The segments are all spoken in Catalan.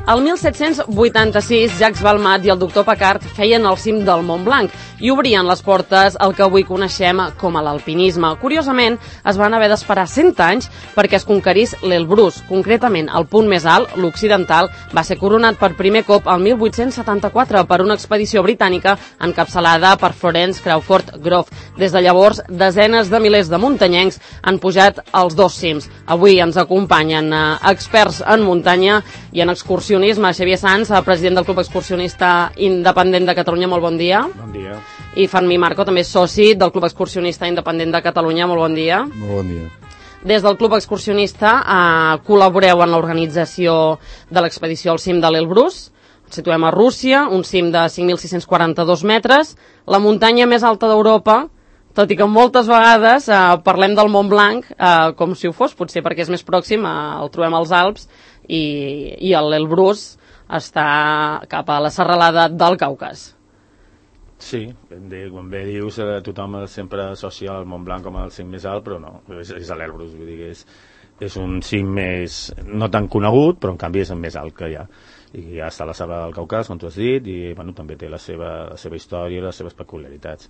El 1786, Jacques Balmat i el doctor Paccard feien el cim del Mont Blanc i obrien les portes al que avui coneixem com a l'alpinisme. Curiosament, es van haver d'esperar 100 anys perquè es conquerís l'Elbrus. Concretament, el punt més alt, l'occidental, va ser coronat per primer cop el 1874 per una expedició britànica encapçalada per Florence Crawford Grove. Des de llavors, desenes de milers de muntanyencs han pujat als dos cims. Avui ens acompanyen experts en muntanya i en excursionisme. Xavier Sanz, president del Club Excursionista Independent de Catalunya, molt bon dia. Bon dia. I Fermí Marco, també soci del Club Excursionista Independent de Catalunya, molt bon dia. Molt bon dia. Des del Club Excursionista col·laboreu en l'organització de l'expedició al cim de l'Elbrus. Ens situem a Rússia, un cim de 5.642 metres, la muntanya més alta d'Europa, tot i que moltes vegades parlem del Mont Blanc com si ho fos, potser perquè és més pròxim, el trobem als Alps, i l'Elbrus està cap a la serralada del Caucas. Sí, com bé dius, tothom sempre associa el Mont Blanc com el cim més alt, però no, és l'Elbrus, vull dir que és un cim més, no tan conegut, però en canvi és el més alt que hi ha. I ja està a la serralada del Caucas, com tu has dit, i bueno, també té la seva història i les seves peculiaritats.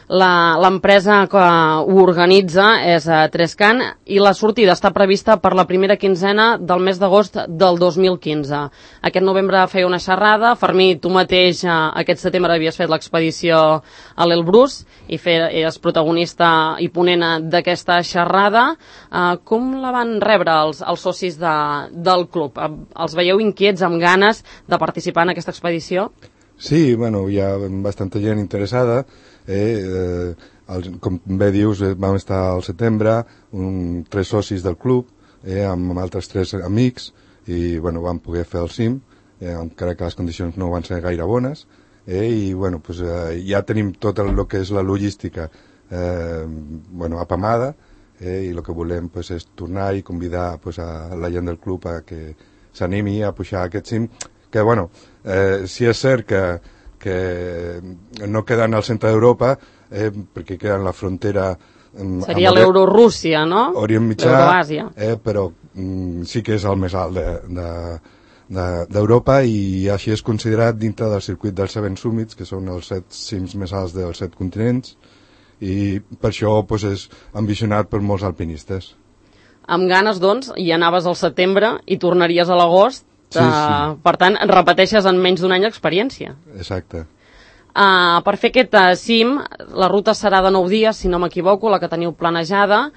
L'empresa que ho organitza és Trescan i la sortida està prevista per la primera quinzena del mes d'agost del 2015. Aquest novembre feia una xerrada. Fermí, tu mateix aquest setembre havies fet l'expedició a l'Elbrus i eres protagonista i ponent d'aquesta xerrada. Com la van rebre els socis del club? Els veieu inquiets, amb ganes de participar en aquesta expedició? Sí, bueno, hi ha bastanta gent interessada. Com bé dius, vam estar al setembre, 3 socis del club, amb altres 3 amics, i bueno, vam poder fer el cim, encara que les condicions no van ser gaire bones, i bueno, pues, ja tenim tot el que és la logística apamada, i el que volem pues, és tornar i convidar pues, a la gent del club a que s'animi a pujar aquest cim, que bueno, si és cert que no queden al centre d'Europa, perquè queden la frontera... Seria l'Eurorússia, no? Orient Mitjà, l'Euroàsia. Però sí que és el més alt d'Europa i així és considerat dintre del circuit dels 7 Summits, que són els 7 cims més alts dels 7 continents, i per això pues, és ambicionat per molts alpinistes. Amb ganes, doncs, hi anaves al setembre i tornaries a l'agost. Sí. Per tant, repeteixes en menys d'un any d'experiència. Exacte. Per fer aquest cim, la ruta serà de 9 dies, si no m'equivoco, la que teniu planejada.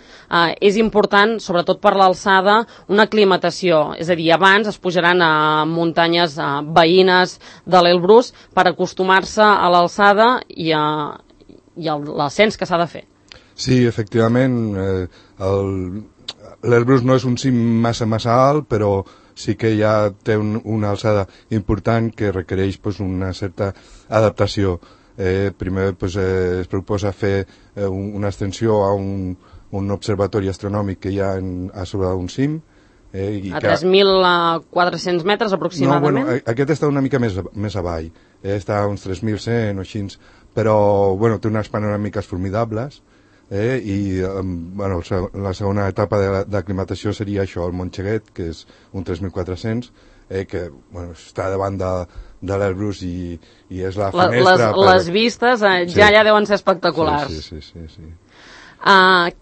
És important, sobretot per l'alçada, una aclimatació. És a dir, abans es pujaran a muntanyes veïnes de l'Elbrus per acostumar-se a l'alçada i a l'ascens que s'ha de fer. Sí, efectivament, l'Elbrus no és un cim massa alt, però sí que ja té una alçada important que requereix pues, una certa adaptació. Primer pues, es proposa fer una extensió a un observatori astronòmic que hi ha a sobre d'un cim. A 3.400 metres aproximadament? No, bueno, aquest està una mica més avall, està a uns 3.100 o així, però bueno, té unes panoràmiques formidables. I bueno, la segona etapa d'aclimatació seria això, el Montxeguet, que és un 3.400, que bueno, està davant de l'Elbrus i és la finestra... Les vistes ja deuen ser espectaculars. Sí.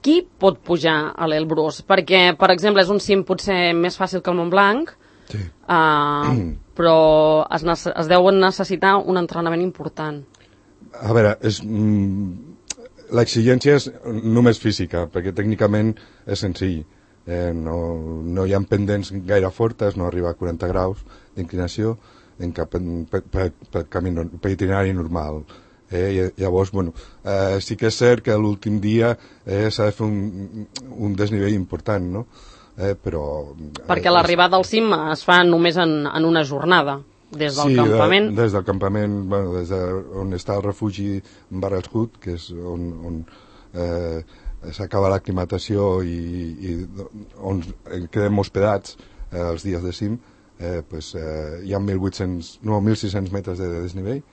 Qui pot pujar a l'Elbrus? Perquè, per exemple, és un cim potser més fàcil que el Mont Blanc, sí. Però es deuen necessitar un entrenament important. A veure, l'exigència és només física, perquè tècnicament és senzill. No hi ha pendents gaire fortes, no arriba a 40 graus d'inclinació per itinerari normal. Llavors, bueno, sí que és cert que l'últim dia s'ha de fer un desnivell important, no? Perquè l'arribada al cim es fa només en una jornada. Des del campament? Sí, des del campament, bueno, des on està el refugi Barrelshut, que és on s'acaba l'aclimatació i on quedem hospedats els dies de cim, hi ha 1.600 metres de desnivell,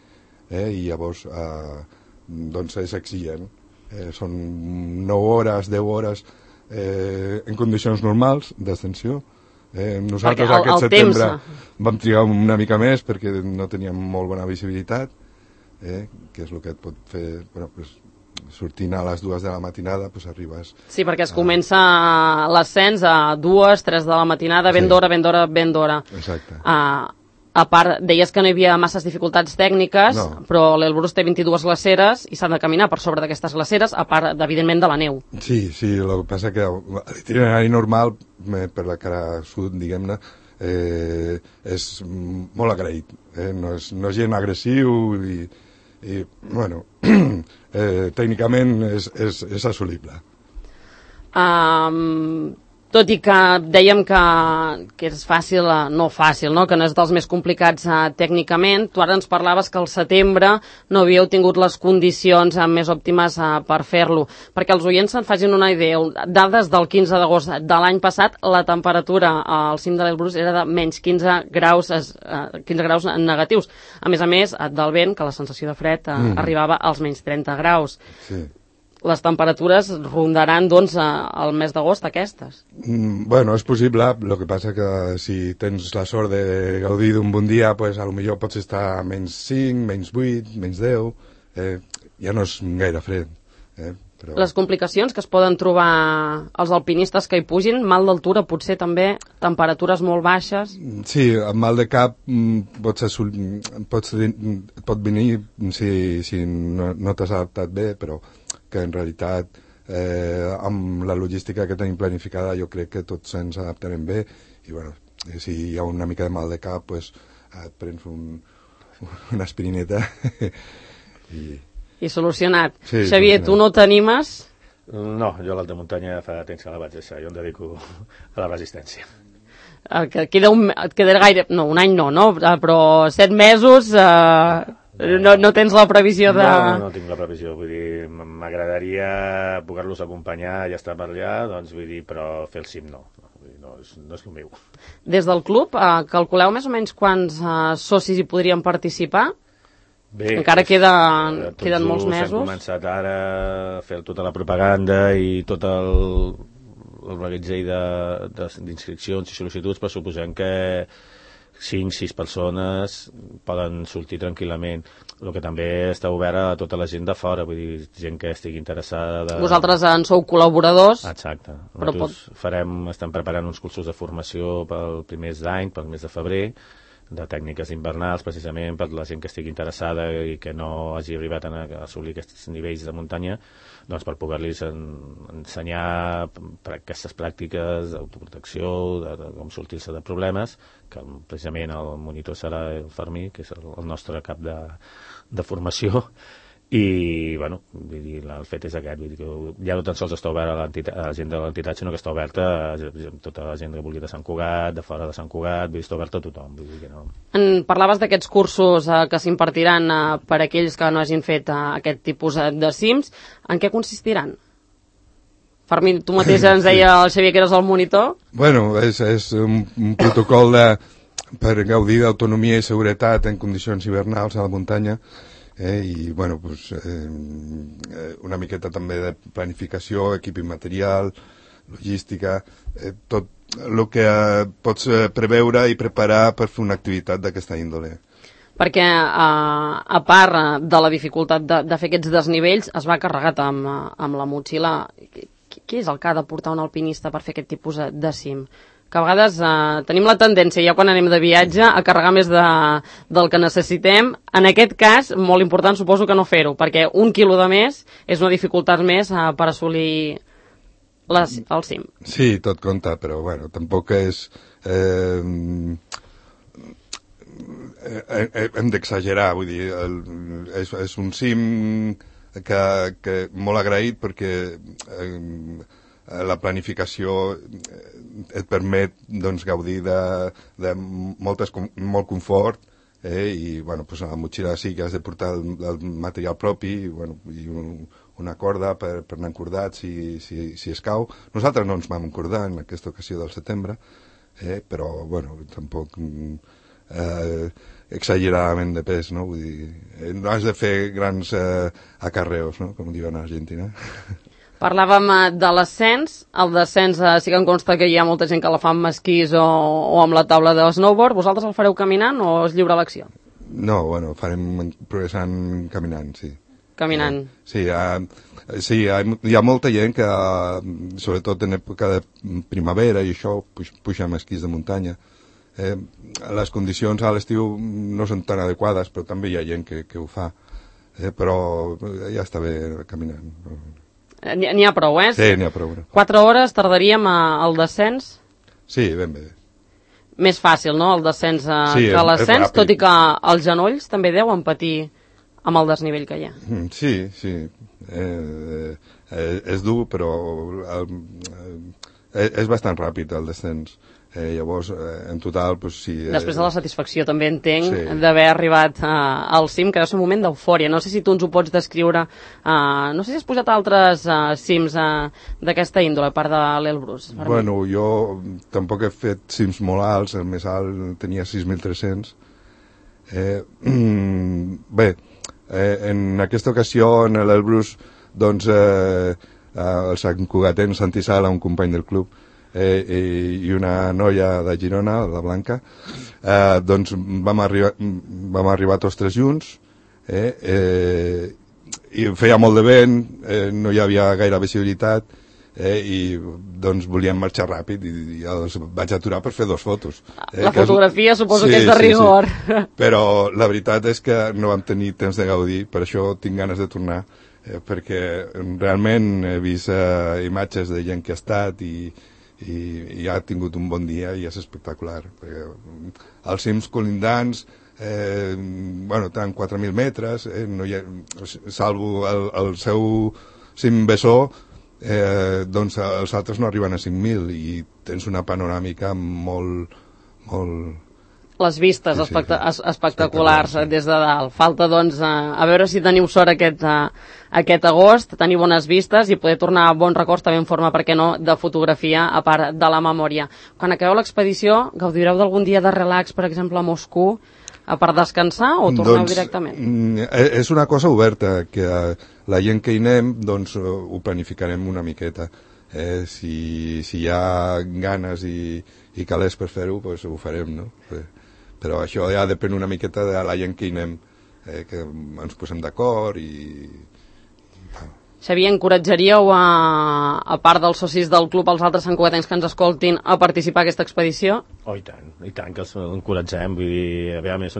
i llavors doncs és exigent. Són 9 hores, 10 hores en condicions normals d'ascensió, Nosaltres aquest setembre vam trigar una mica més perquè no teníem molt bona visibilitat, que és el que et pot fer, bueno, pues, sortint a les 2 de la matinada, pues arribes... Sí, perquè es comença l'ascens a 2, 3 de la matinada, ben d'hora. Exacte. A part, deies que no hi havia masses dificultats tècniques, no. Però l'Elbrus té 22 glaceres i s'han de caminar per sobre d'aquestes glaceres, a part, evidentment, de la neu. Sí, el que passa que l'itinerari normal, per la cara sud, diguem-ne, és molt agraït. No és gent agressiu i bueno, tècnicament és assolible. Tot i que dèiem que és fàcil, no fàcil, no? Que no és dels més complicats tècnicament, tu ara ens parlaves que al setembre no havíeu tingut les condicions més òptimes per fer-lo. Perquè els oients se'n facin una idea, dades del 15 d'agost de l'any passat, la temperatura al cim de l'Elbrus era de menys 15 graus negatius. A més, del vent, que la sensació de fred arribava als menys 30 graus. Sí. Les temperatures rondaran, doncs, al mes d'agost aquestes. Bueno, és possible, el que passa que si tens la sort de gaudir d'un bon dia, pues, a lo millor pots estar a menys 5, menys 8, menys 10, ja no és gaire fred. Però... Les complicacions que es poden trobar els alpinistes que hi pugin, mal d'altura, potser també temperatures molt baixes. Sí, amb mal de cap pot venir si no t'has adaptat bé, però que en realitat amb la logística que tenim planificada jo crec que tots ens adaptarem bé i bueno, si hi ha una mica de mal de cap pues, et prens una aspirineta i solucionat. Sí, Xavier, tu no t'animes? No, jo l'alta muntanya fa temps que la vaig deixar, jo em dedico a la resistència. Et queda gaire... No, un any no? Però 7 mesos... No tens la previsió de... No tinc la previsió, vull dir, m'agradaria poder-los acompanyar i estar per allà, doncs vull dir, però fer el cim no és el meu. Des del club, calculeu més o menys quants socis hi podrien participar? Bé, encara queden molts mesos. Hem començat ara a fer tota la propaganda i tot el reguitzell d'inscripcions i sol·licituds, però suposem que 5-6 persones poden sortir tranquil·lament. El que també està obert a tota la gent de fora, vull dir, gent que estigui interessada... Vosaltres en sou col·laboradors? Exacte. Nosaltres estem preparant uns cursos de formació pel primers d'any, pel mes de febrer, de tècniques invernals, precisament per la gent que estigui interessada i que no hagi arribat a assolir aquests nivells de muntanya, doncs per poder-los ensenyar aquestes pràctiques d'autoprotecció, de com sortir-se de problemes, que precisament el monitor serà el Fermí, que és el nostre cap de formació, i bueno, vull dir, el fet és aquest, vull dir que ja no tan sols està obert a la gent de l'entitat, sinó que està oberta a tota la gent que vulgui de Sant Cugat, de fora de Sant Cugat, vull dir, està oberta a tothom, vull dir que no. Parlaves d'aquests cursos que s'impartiran per aquells que no hagin fet aquest tipus de cims. En què consistiran? Fermín, tu mateix ens deia el Xavier que eres el monitor. Bueno, és un protocol per gaudir d'autonomia i seguretat en condicions hivernals a la muntanya, i bueno, pues, una miqueta també de planificació, equip i material, logística, tot el que pots preveure i preparar per fer una activitat d'aquesta índole. Perquè a part de la dificultat de fer aquests desnivells, es va carregat amb la motxilla. Què és el que ha de portar un alpinista per fer aquest tipus de cim? Que a vegades tenim la tendència, ja quan anem de viatge, a carregar més del que necessitem. En aquest cas, molt important, suposo que no fer-ho, perquè 1 quilo de més és una dificultat més per assolir el cim. Sí, tot compta, però bueno, tampoc és... hem d'exagerar, vull dir, és un cim que molt agraït perquè la planificació et permet doncs, gaudir de molt confort, i bueno, pues a la motxilla sí que has de portar el material propi i una corda per anar encordats si escau. Nosaltres no ens vam encordar en aquesta ocasió del setembre, però bueno, tampoc exageradament de pes, no? Vull dir, no has de fer grans acarreos, no? Com diuen a Argentina. Parlàvem de l'ascens. El descens sí que em consta que hi ha molta gent que la fa amb esquís o amb la taula de snowboard. Vosaltres el fareu caminant o és lliure elecció? No, bueno, farem progressant caminant, sí. Caminant. Sí, hi ha molta gent que, sobretot en època de primavera i això, puja amb esquís de muntanya. Les condicions a l'estiu no són tan adequades, però també hi ha gent que ho fa. Però ja està bé caminant. N'hi ha prou, Sí, n'hi ha prou. 4 hores tardaríem al descens? Sí, ben bé. Més fàcil, no?, el descens sí, que l'ascens, tot i que els genolls també deuen patir amb el desnivell que hi ha. Sí. És dur, però és bastant ràpid el descens. Llavors, en total, doncs sí... Després de la satisfacció, també entenc, d'haver arribat al cim, que deu ser un moment d'eufòria. No sé si tu ens ho pots descriure. No sé si has pujat a altres cims d'aquesta índole, a part de l'Elbrus. Bueno, jo tampoc he fet cims molt alts, el més alt tenia 6.300. Bé, en aquesta ocasió, en l'Elbrus, doncs, el Sant Cugatenc Santi Sala, un company del club, i una noia de Girona, la Blanca, doncs vam arribar tots tres junts, i feia molt de vent, no hi havia gaire visibilitat, i doncs volíem marxar ràpid i els vaig aturar per fer 2 fotos. La fotografia suposo que és de rigor. Sí. Però la veritat és que no vam tenir temps de gaudir, per això tinc ganes de tornar, perquè realment he vist imatges de gent que ha estat i ha tingut un bon dia i és espectacular. Els cims colindants, bueno, tenen 4.000 metres, no hi ha, salvo el seu cim Bessó, doncs els altres no arriben a 5.000 i tens una panoràmica molt... Les vistes espectaculars des de dalt. Falta, doncs, a veure si teniu sort aquest agost, tenir bones vistes i poder tornar a bons records, també en forma, per què no, de fotografia, a part de la memòria. Quan acabeu l'expedició, gaudireu d'algun dia de relax, per exemple, a Moscou, a part descansar, o torneu directament? És una cosa oberta, que la gent que hi anem, doncs, ho planificarem una miqueta. Si hi ha ganes i calés per fer-ho, doncs ho farem, no? Però això ja depèn una miqueta de la gent que hi anem, que ens posem d'acord i... Xavier, encoratjaríeu, a part dels socis del club, els altres santcugatencs que ens escoltin, a participar en aquesta expedició? Oh, i tant que els encoratgem. Vull dir, a més,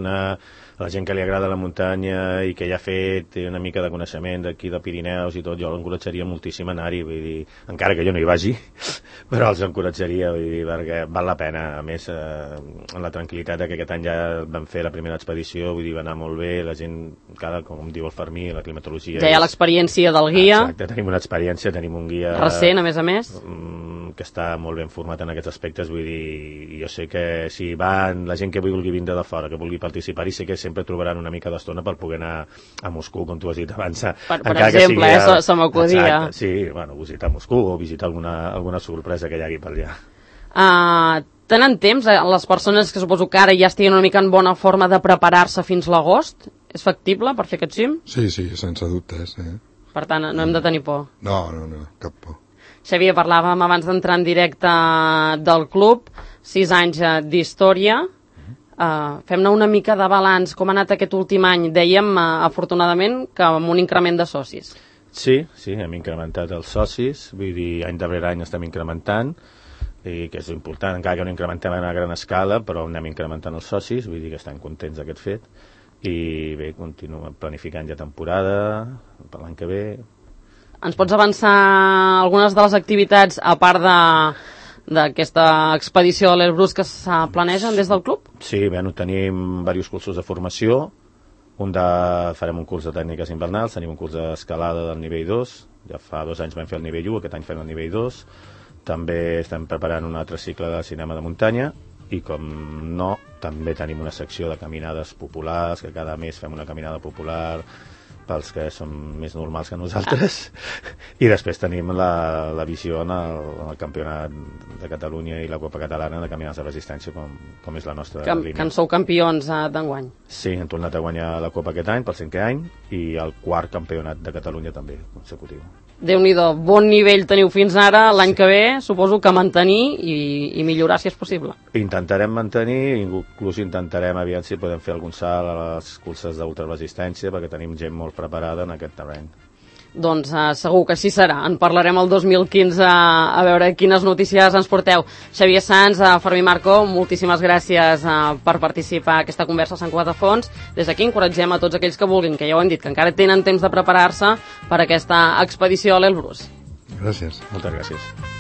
la gent que li agrada la muntanya i que ja ha fet, té una mica de coneixement d'aquí de Pirineus i tot, jo l'encoratjaria moltíssim a anar-hi, vull dir, encara que jo no hi vagi, però els encoratjaria, vull dir, perquè val la pena. A més, en la tranquil·litat que aquest any ja vam fer la primera expedició, vull dir, va anar molt bé, la gent, com diu el Fermí, la climatologia... Ja hi ha l'experiència del guia. Exacte, tenim una experiència, tenim un guia... Recent, a més. Que està molt ben format en aquests aspectes, vull dir, jo sé que si van la gent que vulgui vindre de fora, que vulgui participar-hi, sé que sempre trobaran una mica d'estona per poder anar a Moscou, com tu has dit abans. Per exemple, se m'acudia. Sí, bueno, visitar Moscou o visitar alguna sorpresa que hi hagi per allà. Tenen temps, les persones que suposo que ara ja estiguin una mica en bona forma de preparar-se fins l'agost? És factible per fer aquest cim? Sí, sense dubtes. Per tant, no hem de tenir por. No, cap por. Xavier, parlàvem abans d'entrar en directe del club, 6 anys d'història. Fem-ne una mica de balanç. Com ha anat aquest últim any? Dèiem, afortunadament, que amb un increment de socis. Sí, hem incrementat els socis, vull dir, any darrere any estem incrementant, i que és important, encara que no incrementem a gran escala, però anem incrementant els socis, vull dir que estem contents d'aquest fet, i bé, continuem planificant ja temporada per l'any que ve. Ens pots avançar algunes de les activitats, a part d'aquesta expedició a l'Elbrus, que es planegen des del club? Sí, tenim diversos cursos de formació. Farem un curs de tècniques invernals, tenim un curs d'escalada del nivell 2, ja fa 2 anys vam fer el nivell 1, aquest any fem el nivell 2. També estem preparant un altre cicle de cinema de muntanya i, com no, també tenim una secció de caminades populars, que cada mes fem una caminada popular pels que són més normals que nosaltres, i després tenim la visió en el Campionat de Catalunya i la Copa Catalana de Caminants de Resistència, com és la nostra línia. Que en sou campions d'enguany. Sí, hem tornat a guanyar la Copa aquest any, pel 5è any, i el 4 Campionat de Catalunya també, consecutiu. Déu-n'hi-do, bon nivell teniu fins ara, l'any que ve suposo que mantenir i millorar si és possible. Intentarem mantenir, inclús intentarem aviam si podem fer algun salt a les curses d'ultraresistència, perquè tenim gent molt preparada en aquest terreny. Doncs segur que així serà. En parlarem el 2015 a veure quines notícies ens porteu. Xavier Sans, Fermí Marco, moltíssimes gràcies per participar en aquesta conversa a Sant Cugat de Fons. Des d'aquí encoratgem a tots aquells que vulguin, que ja ho hem dit, que encara tenen temps de preparar-se per aquesta expedició a l'Elbrus. Gràcies. Moltes gràcies.